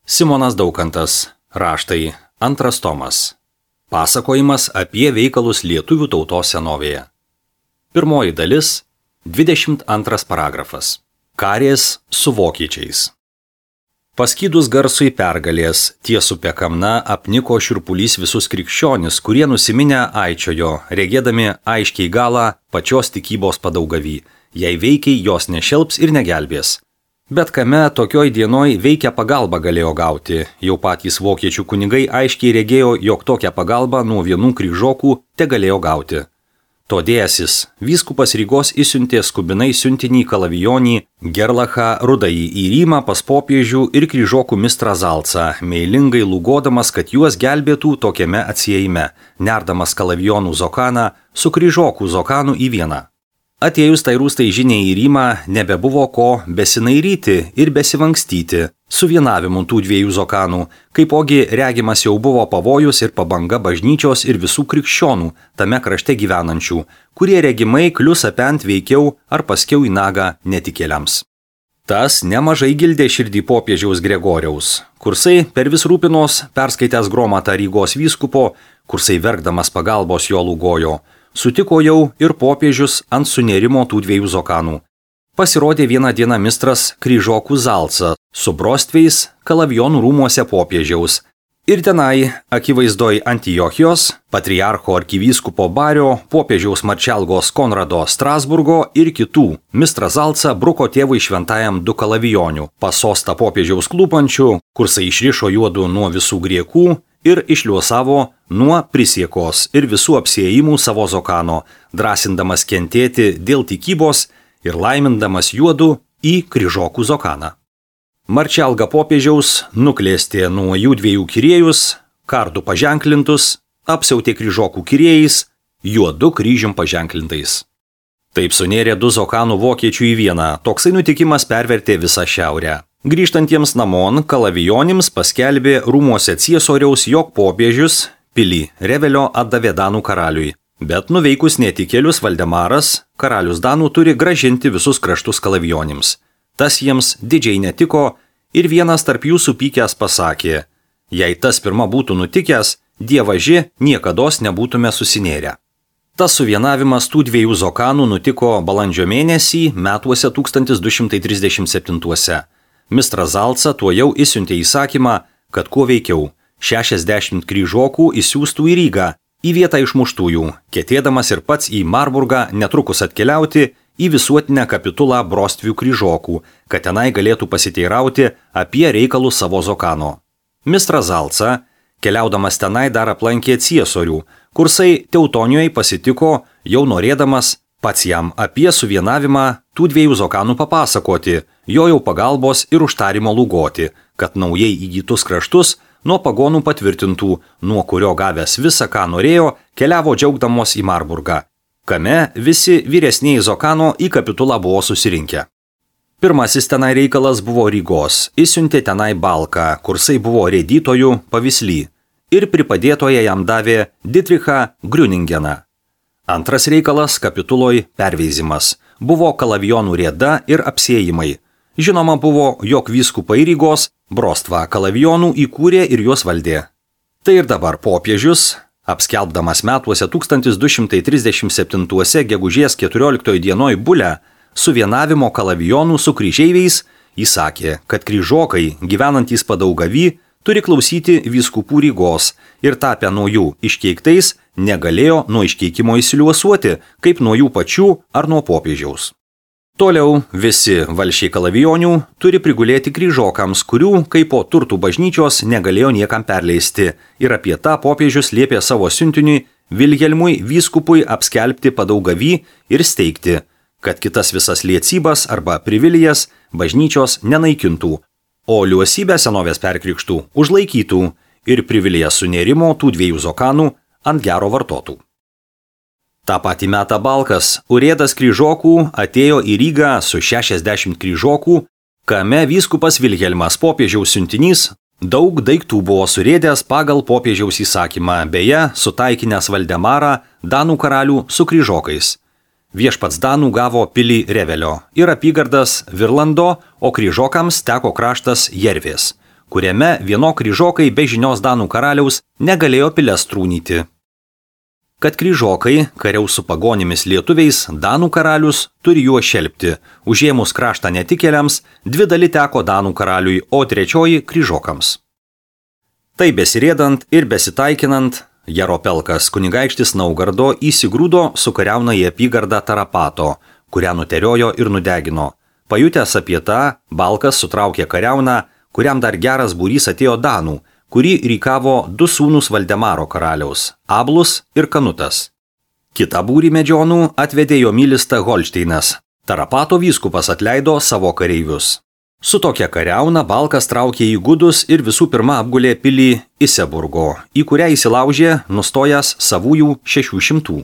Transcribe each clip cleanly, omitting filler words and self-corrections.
Simonas Daukantas. Raštai. 2 tomas. Pasakojimas apie veikalus lietuvių tautos senovėje. Pirmoji dalis. 22 paragrafas. Karės su vokiečiais. Paskydus garsui pergalės, ties upe Kamna apniko šiurpulys visus krikščionis, kurie nusiminę aičiojo, regėdami aiškiai galą pačios tikybos padaugavį, jei veikiai jos nešelps ir negelbės. Bet kame tokioj dienoj veikia pagalbą galėjo gauti, jau patys vokiečių kunigai aiškiai regėjo, jog tokią pagalbą nuo vienų kryžokų te galėjo gauti. Todėsis vyskupas Rygos įsiuntė skubinai siuntinį Kalavijonį Gerlachą Rudąjį į Rymą pas popiežių ir kryžokų mistrą Zalcą, meilingai lūgodamas, kad juos gelbėtų tokiame atsiejime, nerdamas Kalavijonų Zokaną su kryžokų Zokanu į vieną. Atėjus tai rūstai žiniai į Rymą nebebuvo ko besinairyti ir besivangstyti su vienavimu tų dviejų Zokanų, kaipogi regimas jau buvo pavojus ir pabanga bažnyčios ir visų krikščionų tame krašte gyvenančių, kurie regimai klius apent veikiau ar paskiau į nagą netikėliams. Tas nemažai gildė širdį popiežiaus Gregoriaus, kursai per vis rūpinos perskaitęs gromatą Rygos vyskupo, kursai verkdamas pagalbos jo lūgojo. Sutiko jau ir popiežius ant sunerimo tų dviejų Zokanų. Pasirodė vieną dieną mistras kryžokų Zalca su brostveis Kalavijonų rūmuose popiežiaus. Ir tenai, akivaizdoj Antiochijos, patriarcho arkivyskupo Bario, popiežiaus Marčelgos Konrado Strasburgo ir kitų, mistras Zalca bruko tėvui šventajam 2 Kalavijonių, pasostą popiežiaus klūpančių, kursai išrišo juodu nuo visų griekų ir išliuosavo nuo prisiekos ir visų apsiėjimų savo Zokano, drąsindamas kentėti dėl tikybos ir laimindamas juodu į kryžokų Zokaną. Marčelga popiežiaus nuklėstė nuo jų dviejų kiriejus, kardų paženklintus, apsiautė kryžokų kiriejais, juodu kryžium paženklintais. Taip sunėrė 2 Zokanų vokiečių į vieną, toksai nutikimas pervertė visą šiaurę. Grįžtantiems namon Kalavijonims paskelbė rūmuose ciesoriaus, jog popiežius pilį Revelio atdavė Danų karaliui. Bet nuveikus netikėlius Valdemaras, karalius Danų turi gražinti visus kraštus Kalavijonims. Tas jiems didžiai netiko ir vienas tarp jų supykęs pasakė, jei tas pirma būtų nutikęs, dievaži niekados nebūtume susinėrę. Tas suvienavimas tų dviejų Zokanų nutiko balandžio mėnesį metuose 1237. Mistras Zalca tuo jau įsiuntė įsakymą, kad kuo veikiau 60 kryžokų įsiųstų į Rygą, į vietą išmuštųjų, ketėdamas ir pats į Marburgą netrukus atkeliauti į visuotinę kapitulą brostvių kryžokų, kad tenai galėtų pasiteirauti apie reikalus savo Zokano. Mistras Zalca, keliaudamas tenai dar aplankė ciesorių, kursai Teutonijoje pasitiko, jau norėdamas pats jam apie suvienavimą tų dviejų Zokanų papasakoti, jo jau pagalbos ir užtarimo lūgoti, kad naujai įgytus kraštus nuo pagonų patvirtintų, nuo kurio gavęs visą, ką norėjo, keliavo džiaugdamos į Marburgą, kame visi vyresniai Zokano į kapitulą buvo susirinkę. Pirmasis tenai reikalas buvo Rygos, įsiuntė tenai Balką, kursai buvo rėdytojų pavisly, ir pripadėtoje jam davė Dietrichą Griuningeną. Antras reikalas kapituloj perveizimas, buvo Kalavijonų rėda ir apsiėjimai. Žinoma buvo, jog vyskupai Rygos brostvą Kalavijonų įkūrė ir juos valdė. Tai ir dabar popiežius, apskelbdamas metuose 1237 gegužės 14 dienoj bulę, suvienavimo Kalavijonų su kryžeiviais, įsakė, kad kryžokai, gyvenantys padaugavį, turi klausyti vyskupų Rygos ir tapę nuo jų iškeiktais negalėjo nuo iškeikimo įsiliuosuoti, kaip nuo jų pačių ar nuo popiežiaus. Toliau visi valsčiai Kalavijonių turi prigulėti kryžokams, kurių kaip po turtų bažnyčios negalėjo niekam perleisti, ir apie tą popiežius liepė savo siuntiniui Vilhelmui vyskupui apskelbti padaugavį ir steigti, kad kitas visas liecybas arba privilijas bažnyčios nenaikintų, o liuosybę senovės perkrikštų užlaikytų ir privilijas sunerimo tų dviejų Zokanų ant gero vartotų. Ta patį metą Balkas, urėdas kryžokų, atėjo į Rygą su 60 kryžokų, kame vyskupas Vilhelmas popiežiaus siuntinys daug daiktų buvo surėdęs pagal popiežiaus įsakymą, beje, sutaikinęs Valdemarą Danų karalių su kryžokais. Viešpats Danų gavo pilį Revelio ir apygardas Virlando, o kryžokams teko kraštas Jervės, kuriame vieno kryžokai be žinios danų karaliaus negalėjo piles trūnyti. Kad kryžokai kariaus su pagonimis lietuviais, danų karalius turi juos šelpti. Užėmus kraštą netikėliams, 2 dalis teko danų karaliui, o 3 kryžokams. Tai besirėdant ir besitaikinant, Jaropelkas kunigaikštis Naugardo įsigrūdo su kariauna į apygardą Tarapato, kurią nuteriojo ir nudegino. Pajutęs apie tą, Balkas sutraukė kariauną, kuriam dar geras būrys atėjo danų, kurį rykavo 2 sūnus Valdemaro karaliaus – Ablus ir Kanutas. Kitą būrį medžionų atvedė Jomilista Holšteinas. Tarapato vyskupas atleido savo kareivius. Su tokia kariauna Balkas traukė į gudus ir visų pirma apgulė pilį Iseburgo, į kurią įsilaužė, nustojęs savųjų 600.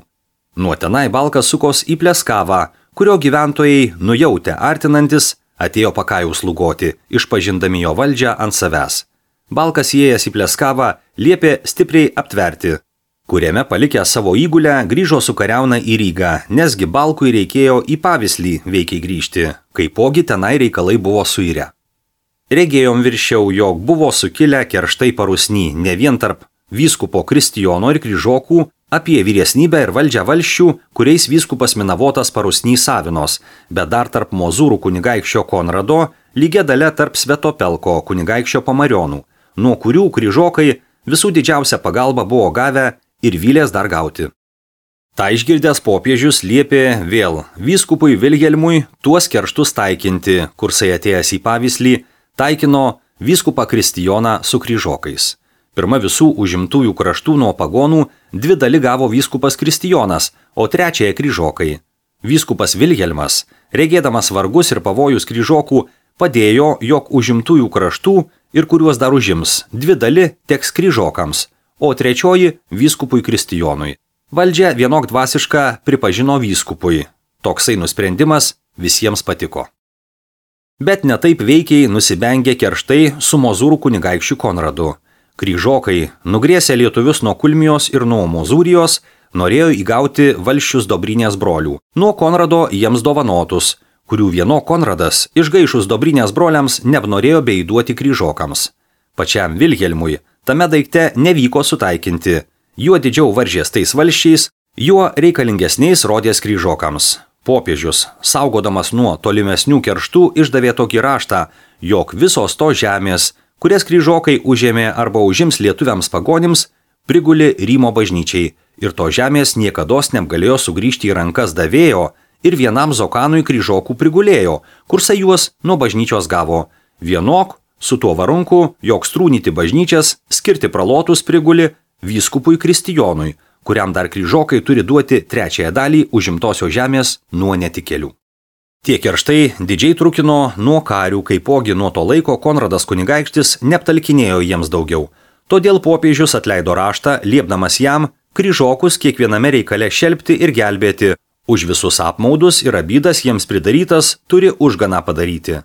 Nuo tenai Balkas sukos į Pleskavą, kurio gyventojai, nujautę artinantis, atėjo Pakajaus lugoti, išpažindami jo valdžią ant savęs. Balkas įėjęs į Pleskavą liepė stipriai aptverti, kuriame palikę savo įgulę grįžo su kariauna į Rygą, nesgi Balkui reikėjo į Pavislį veikiai grįžti, kaipogi tenai reikalai buvo suirę. Regėjom viršiau, jog buvo sukilę kerštai parusny ne vien tarp vyskupo Kristijono ir kryžokų apie vyresnybę ir valdžią valsčių, kuriais vyskupas Minavotas parusny savinos, bet dar tarp Mozūrų kunigaikščio Konrado, lygia dalia tarp Svetopelko kunigaikščio Pamarionų, nuo kurių kryžokai visų didžiausią pagalbą buvo gavę ir vylės dar gauti. Ta išgirdęs popiežius liepė vėl vyskupui Vilhelmui tuos kerštus taikinti, kursai atėjęs į Pavislį, taikino vyskupą Kristijoną su kryžokais. Pirma visų užimtųjų kraštų nuo pagonų 2 dalis gavo vyskupas Kristijonas, o 3 kryžokai. Vyskupas Vilhelmas, regėdamas vargus ir pavojus kryžokų, padėjo, jog užimtųjų kraštų ir kuriuos dar užims 2 dalis teks kryžokams, o 3 vyskupui Kristijonui. Valdžia vienok dvasišką pripažino vyskupui. Toksai nusprendimas visiems patiko. Bet netaip veikiai nusibengė kerštai su Mozūrų kunigaikščiu Konradu. Kryžokai, nugrėsę lietuvius nuo Kulmijos ir nuo Mozūrijos, norėjo įgauti valsčius Dobrinės brolių. Nuo Konrado jiems dovanotus, kurių vieno Konradas išgaišus Dobrinės broliams neapnorėjo beįduoti kryžokams. Pačiam Vilhelmui tame daikte nevyko sutaikinti. Juo didžiau varžės tais valsčiais, juo reikalingesniais rodės kryžokams. Popiežius, saugodamas nuo tolimesnių kerštų, išdavė tokį raštą, jog visos to žemės, kurias kryžokai užėmė arba užims lietuviams pagonims, priguli Rymo bažnyčiai ir to žemės niekados negalėjo sugrįžti į rankas davėjo ir vienam Zokanui kryžokų prigulėjo, kursai juos nuo bažnyčios gavo. Vienok su tuo varunku, jog strūnyti bažnyčias, skirti pralotus priguli vyskupui Kristijonui, kuriam dar kryžokai turi duoti 3 dalį užimtosios žemės nuo netikėlių. Tie kerštai didžiai trukino nuo karių, kaipogi nuo to laiko Konradas kunigaikštis neaptalkinėjo jiems daugiau. Todėl popiežius atleido raštą, liepdamas jam kryžokus kiekviename reikale šelpti ir gelbėti. Už visus apmaudus ir abydas jiems pridarytas turi užganą padaryti.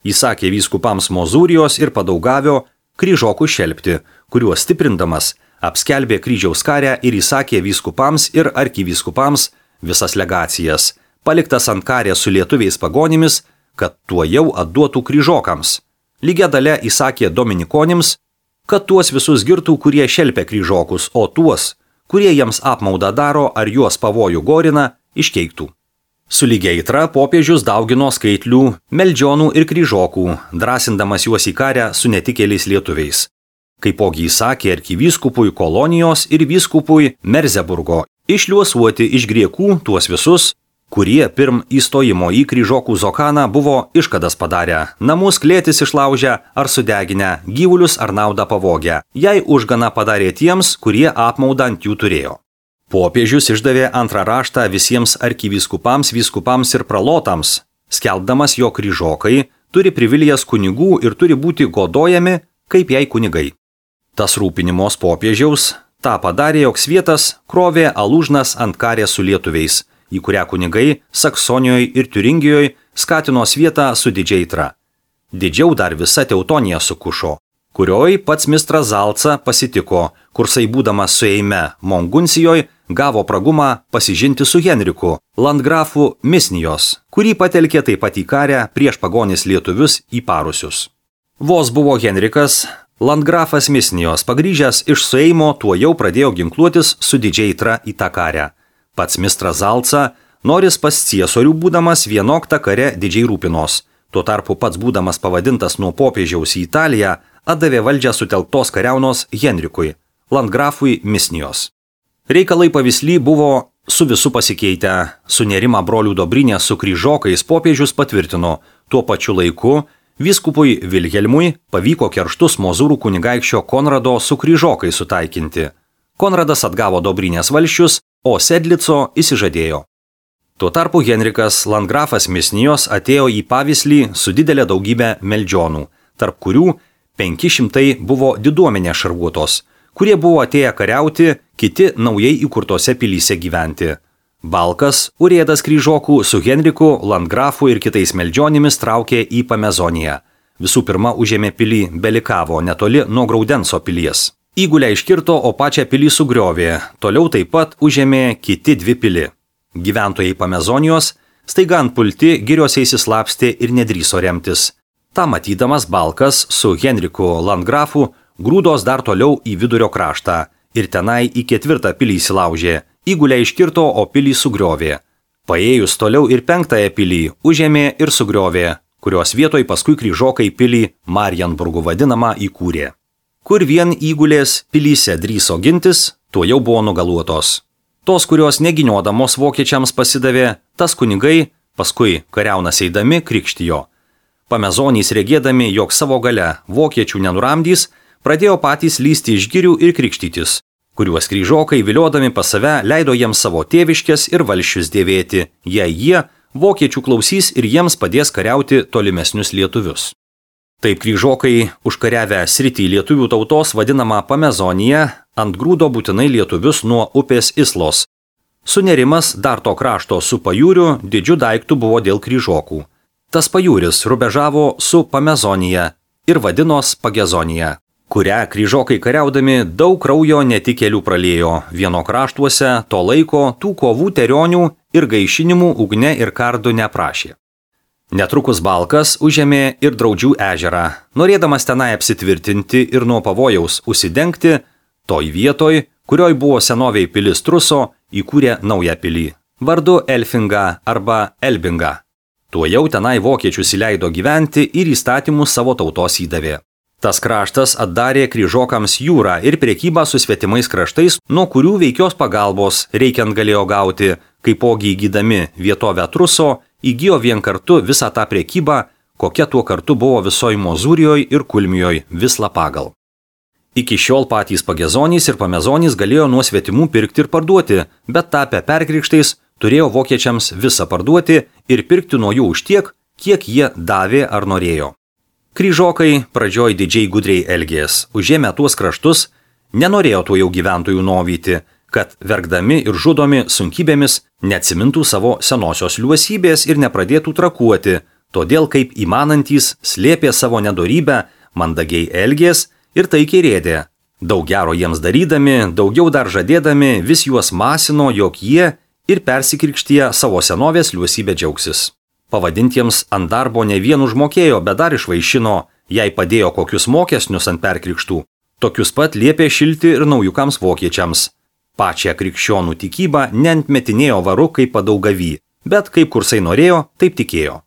Įsakė vyskupams Mozūrijos ir Padaugavio kryžokų šelpti, kuriuos stiprindamas apskelbė kryžiaus karę ir įsakė vyskupams ir arkivyskupams visas legacijas, paliktas ant karės su lietuviais pagonimis, kad tuo jau atduotų kryžokams. Lygia dalia įsakė dominikonims, kad tuos visus girtų, kurie šelpia kryžokus, o tuos, kurie jiems apmaudą daro ar juos pavojų gorina, iškeiktų. Su lygia aitra popiežius daugino skaitlių, meldžionų ir kryžokų, drąsindamas juos į karę su netikėliais lietuviais. Kaipogi įsakė arkivyskupui Kolonijos ir vyskupui Merzeburgo išliuosuoti iš griekų tuos visus, kurie pirm įstojimo į kryžokų Zokaną buvo iškadas padarę, namus klėtis išlaužę ar sudeginę, gyvulius ar naudą pavogę, jei užganą padarė tiems, kurie apmaudą ant jų turėjo. Popiežius išdavė antrą raštą visiems arkivyskupams, vyskupams ir pralotams, skelbdamas, jog kryžokai turi privilijas kunigų ir turi būti godojami, kaip jai kunigai. Tas rūpinimos popiežiaus tą padarė, jog svietas krovė alūžnas ant karės su lietuviais, į kurią kunigai Saksonijoje ir Tiuringijoje skatino svietą su didžiai aitra. Didžiau dar visa Teutonija sukušo, kurioj pats mistras Zalca pasitiko, kursai būdamas su Eime Monguncijoje gavo pragumą pasižinti su Henriku, landgrafu Misnijos, kurį patelkė taip pat į karę prieš pagonis lietuvius įparusius. Vos buvo Henrikas, landgrafas Misnijos, pagrįžęs iš sueimo, tuo jau pradėjo ginkluotis su didžiai tra į tą karę. Pats mistras Zalca, noris pas ciesorių būdamas vienok tą kare didžiai rūpinos. Tuo tarpu pats būdamas pavadintas nuo popiežiaus į Italiją, atdavė valdžią sutelktos kariaunos Henrikui, landgrafui Misnijos. Reikalai pavysly buvo su visu pasikeitę. Sunerimą brolių Dobrinę su kryžokais popiežius patvirtino. Tuo pačiu laiku vyskupui Vilhelmui pavyko kerštus mozūrų kunigaikščio Konrado su kryžokais sutaikinti. Konradas atgavo Dobrinės valsčius, o Sedlico išsižadėjo. Tuo tarpu Henrikas, landgrafas Misnijos, atėjo į pavyslį su didelė daugybė meldžionų, tarp kurių 500 buvo diduomenės šarvuotos, kurie buvo atėję kariauti, kiti naujai įkurtose pilyse gyventi. Balkas, urėdas kryžokų, su Henriku, landgrafu ir kitais meldžionimis traukė į Pamezoniją. Visų pirma užėmė pilį Belikavo, netoli nuo Graudenso pilies. Įgulę iškirto, o pačią pilį sugriovė. Toliau taip pat užėmė kiti 2 pili. Gyventojai Pamezonijos staiga ant pulti giriuose įsislapstė ir nedrįso remtis. Ta matydamas Balkas su Henriku landgrafu grūdos dar toliau į vidurio kraštą ir tenai į 4 pilį įsilaužė. Įgulę iškirto, o pilį sugriovė. Paėjus toliau ir 5 pilį užėmė ir sugriovė, kurios vietoj paskui kryžokai pilį Marienburgu vadinamą įkūrė. Kur vien įgulės pilyse drįso gintis, tuo jau buvo nugaluotos. Tos, kurios neginiodamos vokiečiams pasidavė, tas kunigai, paskui kariaunas eidami, krikštijo. Pamezonys regėdami, jog savo gale vokiečių nenuramdys, pradėjo patys lysti iš girių ir krikštytis, kuriuos kryžokai viliodami pas save leido jiems savo tėviškės ir valsčius dėvėti, jei jie vokiečių klausys ir jiems padės kariauti tolimesnius lietuvius. Taip kryžokai užkariavę sritį lietuvių tautos vadinamą Pamezoniją, ant grūdo būtinai lietuvius nuo upės Islos. Sunerimas dar to krašto su pajūriu didžiu daiktų buvo dėl kryžokų. Tas pajūris rubežavo su Pamezonija ir vadinos Pagezonija, kurią kryžokai kariaudami daug kraujo netikėlių praliejo. Vieno kraštuose to laiko tų kovų terionių ir gaišinimų ugne ir kardu neprašė. Netrukus Balkas užėmė ir Draudžių ežerą, norėdamas tenai apsitvirtinti ir nuo pavojaus užsidengti, toj vietoj, kurioj buvo senoviai pilis Truso, įkūrė naują pilį, vardu Elfinga arba Elbinga. Tuo jau tenai vokiečius įleido gyventi ir įstatymus savo tautos įdavė. Tas kraštas atdarė kryžokams jūrą ir prekybą su svetimais kraštais, nuo kurių veikios pagalbos reikiant galėjo gauti, kaipogi įgydami vietovę Truso, įgijo vien kartu visą tą prekybą, kokia tuo kartu buvo visoj Mozūrijoj ir Kulmijoj Visla pagal. Iki šiol patys Pagezonys ir Pamezonys galėjo nuo svetimų pirkti ir parduoti, bet tapę perkrikštais turėjo vokiečiams visą parduoti ir pirkti nuo jų už tiek, kiek jie davė ar norėjo. Kryžokai pradžioj didžiai gudriai elgės, užėmę tuos kraštus, nenorėjo tuo jau gyventojų novyti, kad verkdami ir žudomi sunkybėmis neatsimintų savo senosios liuosybės ir nepradėtų trakuoti, todėl kaip įmanantys slėpė savo nedorybę, mandagiai elgės ir taikiai rėdė. Daug gero jiems darydami, daugiau dar žadėdami, vis juos masino, jog jie ir persikrikštyje savo senovės liuosybę džiaugsis. Pavadintiems ant darbo ne vien užmokėjo, bet dar išvaišino, jei padėjo kokius mokesnius ant perkrikštų. Tokius pat liepė šilti ir naujukams vokiečiams. Pačią krikščionų tikybą neantmetinėjo varu kaip padaugavy, bet kaip kursai norėjo, taip tikėjo.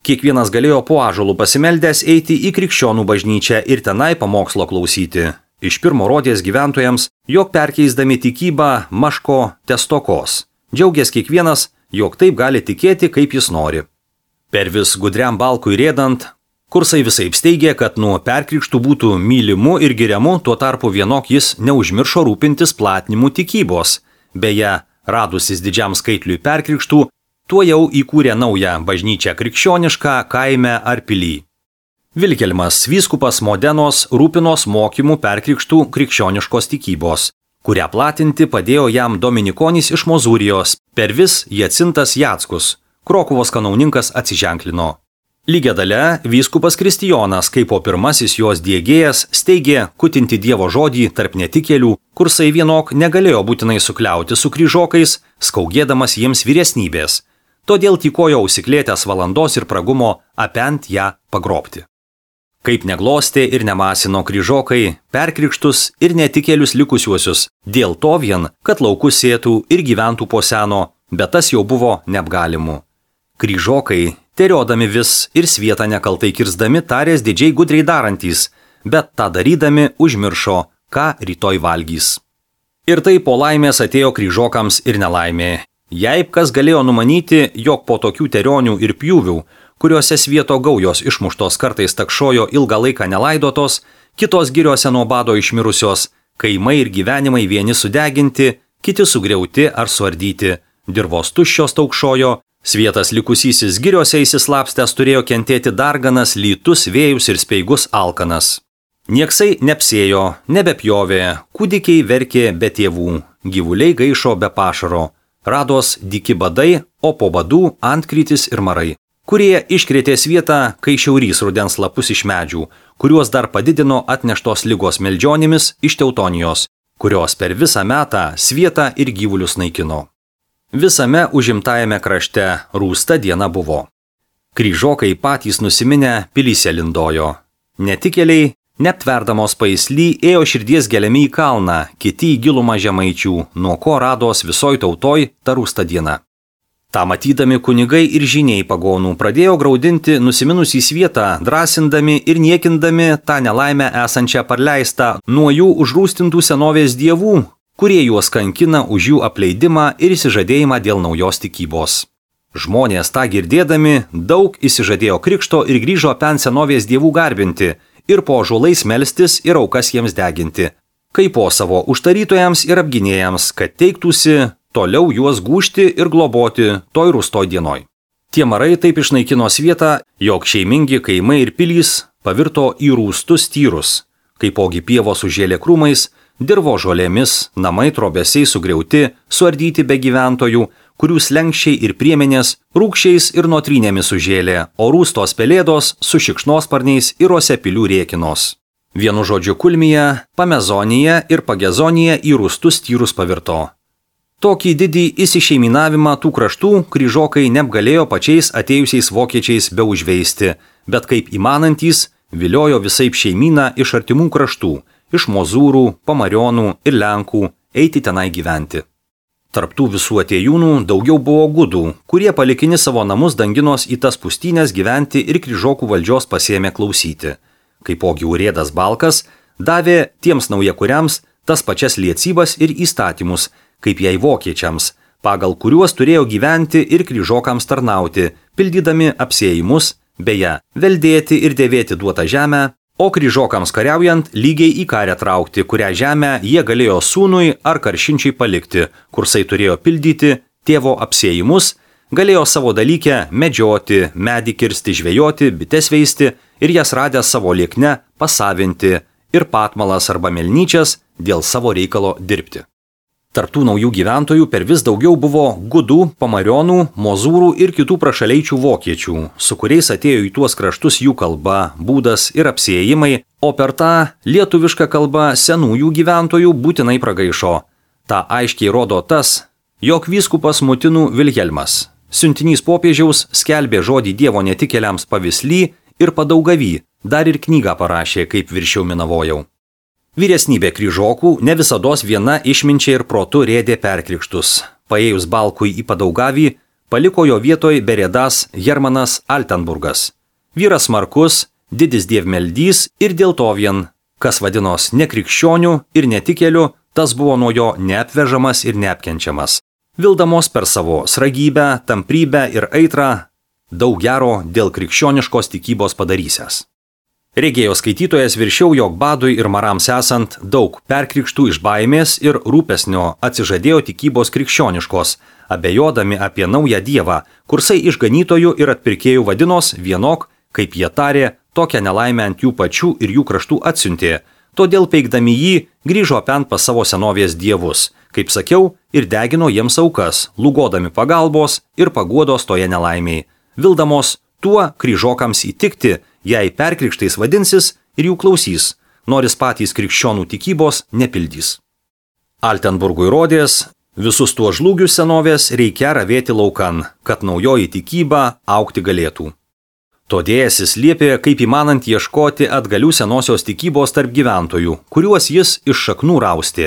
Kiekvienas galėjo po ąžuolų pasimeldęs eiti į krikščionų bažnyčią ir tenai pamokslo klausyti. Iš pirmo rodės gyventojams, jog perkeisdami tikybą maško testokos. Džiaugės kiekvienas, jog taip gali tikėti, kaip jis nori. Per vis gudriam Balkui rėdant, kursai visaip steigė, kad nuo perkrikštų būtų mylimu ir giriamu, tuo tarpu vienok jis neužmiršo rūpintis platinimu tikybos. Beje, radusis didžiam skaitliui perkrikštų, tuo jau įkūrė naują bažnyčią krikščionišką kaime ar pilį. Vilhelmas vyskupas Modenos rūpinos mokymų perkrikštų krikščioniškos tikybos, kurią platinti padėjo jam Dominikonis iš Mozūrijos, per vis Jacintas Jackus, Krokuvos kanauninkas atsiženklino. Lygia dalia vyskupas Kristijonas, kaip po pirmasis jos diegėjas, steigė kutinti Dievo žodį tarp netikėlių, kursai vienok negalėjo būtinai sukliauti su kryžokais, skaugėdamas jiems vyresnybės, todėl tykojo užsiklėtęs valandos ir pragumo apent ją pagrobti. Kaip neglostė ir nemasino kryžokai, perkrikštus ir netikėlius likusiuosius, dėl to vien, kad laukus sėtų ir gyventų po seno, bet tas jau buvo neapgalimu. Kryžokai, teriodami vis ir svietą nekaltai kirzdami, tarės didžiai gudriai darantys, bet tą darydami užmiršo, ką rytoj valgys. Ir tai po laimės atėjo kryžokams ir nelaimė. Jei kas galėjo numanyti, jog po tokių terionių ir pjūvių, kuriuose svieto gaujos išmuštos kartais takšojo ilgą laiką nelaidotos, kitos giriose nuo bado išmirusios, kaimai ir gyvenimai vieni sudeginti, kiti sugriauti ar suardyti, dirvos tuščios taukšojo, svietas likusysis giriose įsislapstęs turėjo kentėti darganas, lytus, vėjus ir speigus alkanas. Nieksai neapsėjo, nebepjovė, kūdikiai verkė be tėvų, gyvuliai gaišo be pašaro, rados dyki badai, o po badų antkrytis ir marai, kurie iškrėtė svietą, kai šiaurys rudens lapus iš medžių, kuriuos dar padidino atneštos ligos meldžionimis iš Teutonijos, kurios per visą metą svietą ir gyvulius naikino. Visame užimtajame krašte rūsta diena buvo. Kryžokai patys nusiminę pilyse lindojo. Netikėliai, neaptverdamos paisly, ėjo širdies geliami į kalną, kiti į gilumą žemaičių, nuo ko rados visoj tautoj ta rūsta diena. Ta matydami kunigai ir žiniai pagonų pradėjo graudinti nusiminusį svietą, drąsindami ir niekindami tą nelaimę esančią parleistą nuo jų užrūstintų senovės dievų, kurie juos kankina už jų apleidimą ir išsižadėjimą dėl naujos tikybos. Žmonės tą girdėdami daug išsižadėjo krikšto ir grįžo pen senovės dievų garbinti ir po ąžuolais melstis ir aukas jiems deginti, kaip po savo užtarytojams ir apginėjams, kad teiktųsi toliau juos gūžti ir globoti toj rūstoj dienoj. Tie marai taip išnaikino svietą, jog šeimingi kaimai ir pilys pavirto į rūstus tyrus, kaipogi pievos užžėlė krūmais, dirvo žolėmis, namai trobesiai sugriauti, suardyti be gyventojų, kurių slenkščiai ir priemenės rūkščiais ir notrynėmis užžėlė, o rūstos pelėdos su šikšnosparniais ir osepilių rėkinos. Vienu žodžiu Kulmija, Pamezonija ir Pagezonija į rūstus tyrus pavirto. Tokį didį įsišeiminavimą tų kraštų kryžokai neapgalėjo pačiais atėjusiais vokiečiais be užveisti, bet kaip įmanantys viliojo visaip šeimyną iš artimų kraštų, iš Mozūrų, Pamarionų ir Lenkų eiti tenai gyventi. Tarptų visų atėjūnų daugiau buvo gudų, kurie palikini savo namus danginos į tas pustynės gyventi ir kryžokų valdžios pasėmė klausyti. Kaipogi urėdas Balkas davė tiems naujakuriams tas pačias liecybas ir įstatymus, kaip jai vokiečiams, pagal kuriuos turėjo gyventi ir kryžokams tarnauti, pildydami apsėjimus, beje, veldėti ir dėvėti duotą žemę, o kryžokams kariaujant lygiai į karę traukti, kurią žemę jie galėjo sūnui ar karšinčiai palikti, kursai turėjo pildyti tėvo apsėjimus, galėjo savo dalykę medžioti, medį kirsti, žvejoti, bites veisti ir jas radę savo liekne pasavinti ir patmalas arba melnyčias dėl savo reikalo dirbti. Tarptų naujų gyventojų per vis daugiau buvo gudų, Pamarionų, Mozūrų ir kitų prašaleičių vokiečių, su kuriais atėjo į tuos kraštus jų kalba, būdas ir apsėjimai, o per tą lietuvišką kalbą senųjų gyventojų būtinai pragaišo. Ta aiškiai rodo tas, jog vyskupas Mutinų Vilhelmas, siuntinys popiežiaus, skelbė žodį Dievo netikėliams Pavisly ir Padaugavy, dar ir knygą parašė, kaip viršiau minavojau. Vyresnybė kryžokų ne visados viena išminčiai ir protu rėdė perkrikštus. Paėjus Balkui į Padaugavį, paliko jo vietoj berėdas Hermanas Altenburgas. Vyras smarkus, didis dievmeldys ir dėl to vien, kas vadinos nekrikščionių ir netikėlių, tas buvo nuo jo neapvežamas ir neapkenčiamas. Vildamos per savo sragybę, tamprybę ir aitrą daug gero dėl krikščioniškos tikybos padarysęs. Regėjo skaitytojas viršiau, jog badui ir marams esant daug perkrikštų iš baimės ir rūpesnio atsižadėjo tikybos krikščioniškos, abejodami apie naują dievą, kursai išganytojų ir atpirkėjų vadinos vienok, kaip jie tarė, tokią nelaimę ant jų pačių ir jų kraštų atsiuntė, todėl peikdami jį grįžo pen pas savo senovės dievus, kaip sakiau, ir degino jiems aukas, lūgodami pagalbos ir paguodos toje nelaimėje, vildamos tuo kryžokams įtikti, jei perkrikštais vadinsis ir jų klausys, noris patys krikščionų tikybos nepildys. Altenburgui rodės, visus tuo žlugius senovės reikia ravėti laukan, kad naujoji tikyba augti galėtų. Todėjasis liepė kaip įmanant ieškoti atgalių senosios tikybos tarp gyventojų, kuriuos jis iš šaknų raustė.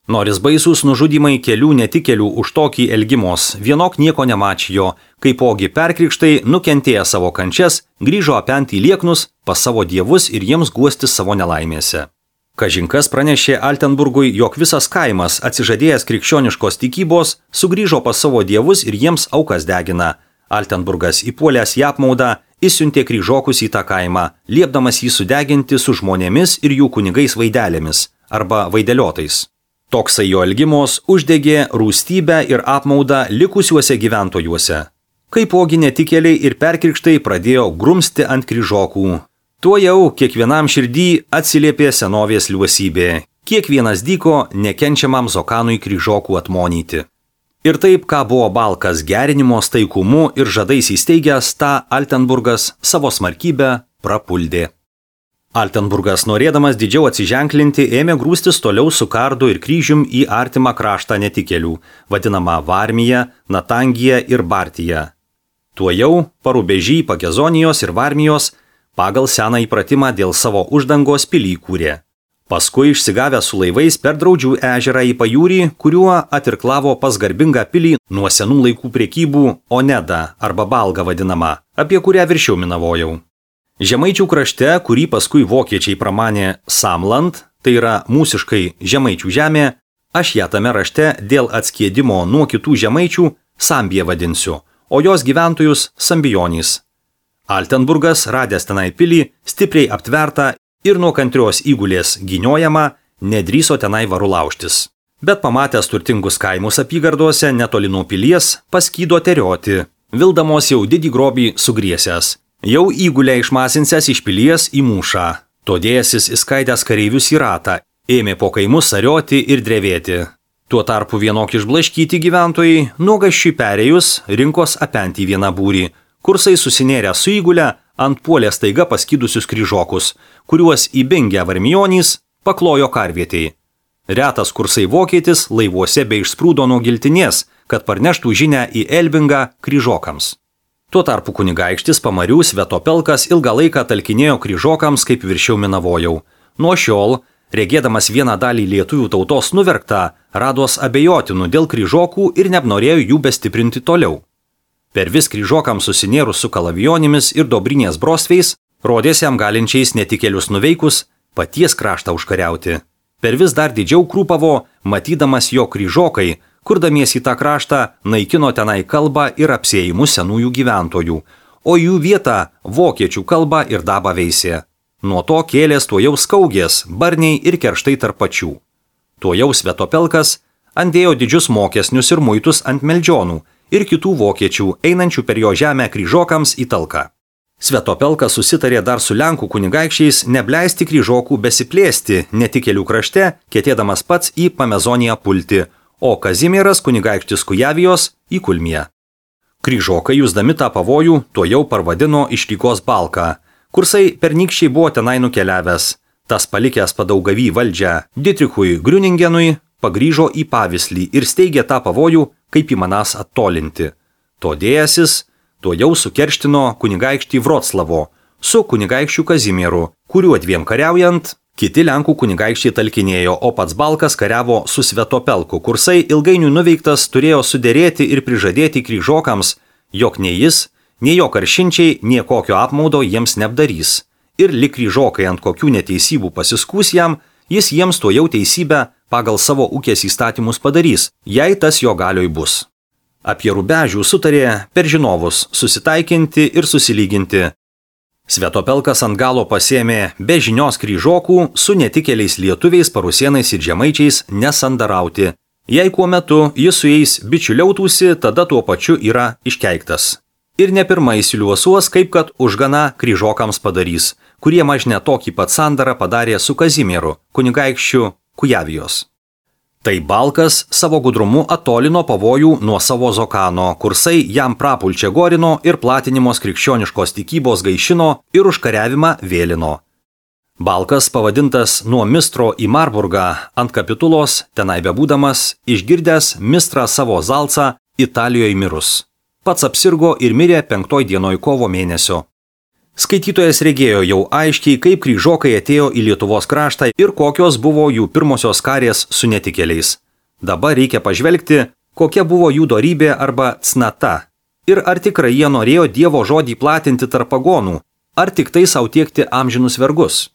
Noris baisūs nužudymai kelių netikėlių už tokį elgimos, vienok nieko nemačijo, kaipogi perkrikštai nukentėję savo kančias, grįžo apenti į lieknus pas savo dievus ir jiems guostis savo nelaimėse. Kažinkas pranešė Altenburgui, jog visas kaimas, atsižadėjęs krikščioniškos tikybos, sugrįžo pas savo dievus ir jiems aukas degina. Altenburgas įpuolęs į apmaudą, išsiuntė kryžokus į tą kaimą, liepdamas jį sudeginti su žmonėmis ir jų kunigais vaidelėmis arba vaideliotais. Toksai jo elgimos uždegė rūstybę ir apmaudą likusiuose gyventojuose. Kaipogi netikėliai ir perkrikštai pradėjo grumsti ant kryžokų. Tuo jau kiekvienam širdį atsiliepė senovės liuosybė. Kiekvienas dyko nekenčiamam Zokanui kryžokų atmonyti. Ir taip, ką buvo Balkas gerinimo staikumu ir žadais įsteigęs, tą Altenburgas savo smarkybę prapuldė. Altenburgas, norėdamas didžiau atsiženklinti, ėmė grūstis toliau su kardu ir kryžium į artimą kraštą netikėlių, vadinamą Varmiją, Natangiją ir Bartiją. Tuojau Parubežį, Pakezonijos ir Varmijos pagal seną įpratimą dėl savo uždangos pilį kūrė. Paskui išsigavę su laivais per Draudžių ežerą į pajūrį, kuriuo atirklavo pas garbingą pilį nuo senų laikų prekybų Oneda arba Balga vadinama, apie kurią viršiau minavojau. Žemaičių krašte, kurį paskui vokiečiai pramanė Samland, tai yra mūsiškai Žemaičių žemė, aš ją tame rašte dėl atskiedimo nuo kitų žemaičių Sambija vadinsiu, o jos gyventojus Sambijonys. Altenburgas, radęs tenai pilį, stipriai aptvertą ir nuo kantrios įgulės gyniojama, nedrįso tenai varu laužtis. Bet pamatęs turtingus kaimus apygardose netoli nuo pilies, paskydo terioti, vildamos jau didį grobį sugriesęs. Jau įgulę išmasinsęs iš pilies į mūšą. Todėjasis įskaidęs kareivius į ratą, ėmė po kaimus sarioti ir drevėti. Tuo tarpu vienok išblaškyti gyventojai, nuogaščiui perėjus, rinkos apenti vieną būrį, kursai susinėrę su įgulę ant puolė staiga paskydusius kryžokus, kuriuos įbingę varmijonys paklojo karvietei. Retas kursai vokietis laivuose bei išsprūdo nuo giltinės, kad parneštų žinią į Elbingą kryžokams. Tuo tarpu kunigaikštis Pamarių Svetopelkas ilgą laiką talkinėjo kryžokams, kaip viršiau minavojau. Nuo šiol, regėdamas vieną dalį lietuvių tautos nuverktą, rados abejotinų dėl kryžokų ir neapnorėjo jų bestiprinti toliau. Per vis kryžokams susinėrus su kalavijonimis ir dobrinės brosveis, rodės jam galinčiais netikėlius nuveikus paties kraštą užkariauti. Per vis dar didžiau krūpavo, matydamas jo kryžokai, kurdamiesi į tą kraštą, naikino tenai kalbą ir apsėjimus senųjų gyventojų, o jų vietą vokiečių kalbą ir dabą veisė. Nuo to kėlės tuojau skaugės, barniai ir kerštai tarp pačių. Tuojau Svetopelkas andėjo didžius mokesnius ir muitus ant meldžionų ir kitų vokiečių, einančių per jo žemę kryžokams į talką. Svetopelkas susitarė dar su Lenkų kunigaikščiais nebleisti kryžokų besiplėsti netikėlių krašte, ketėdamas pats į Pamezoniją pulti, o Kazimieras kunigaikštis Kujavijos į Kulmiją. Kryžokai, jusdami tą pavojų, tuojau parvadino iš Rygos Balką. Kursai pernykščiai buvo tenai nukeliavęs. Tas palikęs Padaugavy valdžią Dietrichui Griuningenui pagrįžo į Pavislį ir steigė tą pavojų, kaip įmanas attolinti. Todėjasis tuojau sukerštino kunigaikštį Vroclavo su kunigaikščiu Kazimieru, kuriuo dviem kariaujant, kiti Lenkų kunigaikščiai talkinėjo, o pats Balkas kariavo su Svetopelku. Kursai ilgainiui nuveiktas turėjo suderėti ir prižadėti kryžokams, jog nei jis, nei jo karšinčiai niekokio apmaudo jiems neapdarys. Ir lik kryžokai ant kokių neteisybų pasiskūs jam, jis jiems tuojau teisybę pagal savo ūkės įstatymus padarys, jei tas jo galioj bus. Apie Rubežių sutarė per žinovus susitaikinti ir susilyginti. Svetopelkas ant galo pasėmė be žinios kryžokų su netikėliais lietuviais, parusienais ir žemaičiais nesandarauti. Jei kuo metu jis su jais bičiuliautųsi, tada tuo pačiu yra iškeiktas. Ir ne pirmai įsiliuosuos, kaip kad užgana kryžokams padarys, kurie mažne tokį pat sandarą padarė su Kazimieru, kunigaikščiu Kujavijos. Tai Balkas savo gudrumu atolino pavojų nuo savo Zokano, kursai jam prapulčia gorino ir platinimos krikščioniškos tikybos gaišino ir užkariavimą vėlino. Balkas, pavadintas nuo Mistro į Marburgą ant kapitulos, tenai bebūdamas, išgirdęs Mistrą savo Zalcą Italijoje mirus. Pats apsirgo ir mirė 5 dienoj kovo mėnesio. Skaitytojas regėjo jau aiškiai, kaip kryžokai atėjo į Lietuvos kraštą ir kokios buvo jų pirmosios karės su netikėliais. Dabar reikia pažvelgti, kokia buvo jų dorybė arba cnata. Ir ar tikrai jie norėjo Dievo žodį platinti tarp pagonų, ar tik tai sau tiekti amžinus vergus.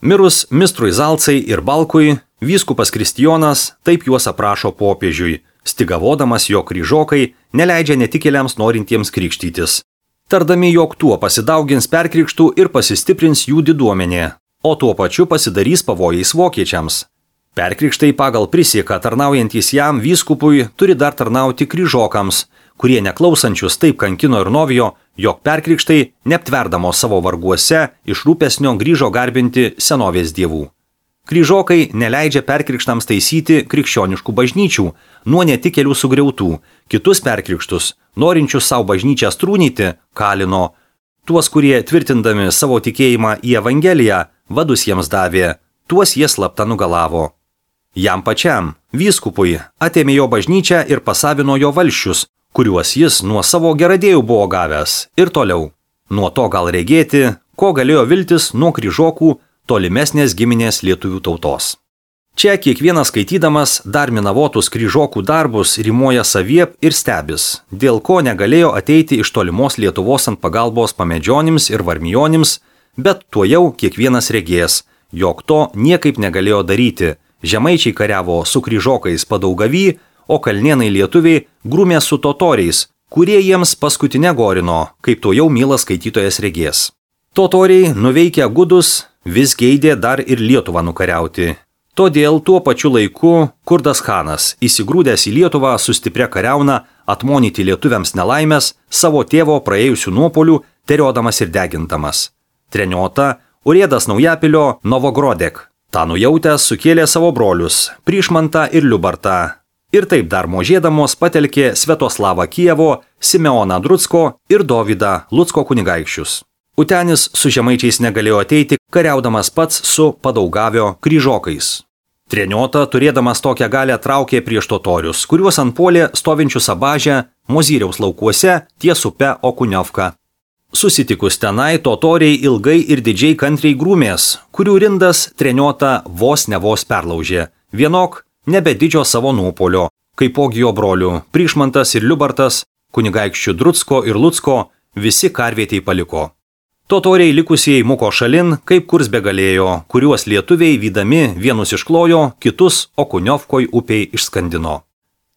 Mirus mistrui Zalcai ir Balkui, vyskupas Kristijonas taip juos aprašo popiežiui, stygavodamas, jog kryžokai neleidžia netikėliams norintiems krikštytis. Tardami, jog tuo pasidaugins perkrikštų ir pasistiprins jų diduomenė, o tuo pačiu pasidarys pavojais vokiečiams. Perkrikštai pagal prisieką tarnaujantys jam vyskupui turi dar tarnauti kryžokams, kurie neklausančius taip kankino ir novijo, jog perkrikštai, neaptverdamos savo varguose, iš rūpesnio grįžo garbinti senovės dievų. Kryžokai neleidžia perkrikštams taisyti krikščioniškų bažnyčių, nuo netikėlių sugriautų, kitus perkrikštus, norinčius savo bažnyčią strūnyti, kalino. Tuos, kurie tvirtindami savo tikėjimą į Evangeliją, vadus jiems davė, tuos jie slapta nugalavo. Jam pačiam, vyskupui, atėmė jo bažnyčią ir pasavino jo valsčius, kuriuos jis nuo savo geradėjų buvo gavęs, ir toliau. Nuo to gal regėti, ko galėjo viltis nuo kryžokų tolimesnės giminės lietuvių tautos. Čia kiekvienas skaitydamas dar minavotus kryžokų darbus rimuoja saviep ir stebis, dėl ko negalėjo ateiti iš tolimos Lietuvos ant pagalbos pamedžionims ir varmijonims, bet tuojau kiekvienas regės, jog to niekaip negalėjo daryti. Žemaičiai kariavo su kryžokais Padaugavy, o kalnėnai lietuviai grūmė su totoriais, kurie jiems paskutinę gorino, kaip tuojau mielas skaitytojas regės. Totoriai, nuveikę gudus, vis geidė dar ir Lietuvą nukariauti. Todėl tuo pačiu laiku Kurdas Chanas, įsigrūdęs į Lietuvą su stipria kariauna, atmonyti lietuviams nelaimės, savo tėvo praėjusių nuopolių, teriodamas ir degintamas. Treniota Urėdas Naujapilio Novogrodek. Ta nujautęs sukėlė savo brolius, Prišmantą ir Liubartą. Ir taip dar možėdamos patelkė Svetoslavą Kijevo, Simeoną Drucko ir Dovydą Lucko kunigaikščius. Utenis su žemaičiais negalėjo ateiti, kariaudamas pats su Padaugavio kryžokais. Treniota, turėdamas tokią galę, traukė prieš totorius, kuriuos antpuolė stovinčius Abažę, Mozyriaus laukuose ties upe Okuniovka. Susitikus tenai, totoriai ilgai ir didžiai kantriai grūmės, kurių rindas Treniota vos perlaužė. Vienok nebe didžio savo nuopolio, kaipogi jo brolių Prišmantas ir Liubartas, kunigaikščių Drucko ir Lucko, visi karvietei paliko. Totoriai likusieji muko šalin, kaip kurs begalėjo, kuriuos lietuviai vydami vienus išklojo, kitus Okuniovkoj upei išskandino.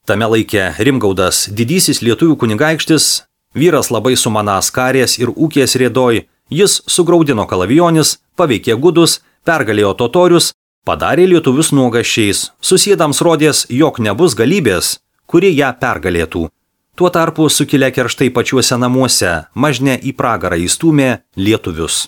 Tame laike Rimgaudas, didysis lietuvių kunigaikštis, vyras labai sumanąs karės ir ūkės rėdoj, jis sugraudino kalavijonis, paveikė gudus, pergalėjo totorius, padarė lietuvius nuogaščiais, susėdams rodės, jog nebus galybės, kuri ją pergalėtų. Tuo tarpu sukilę kerštai pačiuose namuose, mažne į pragarą įstūmė lietuvius.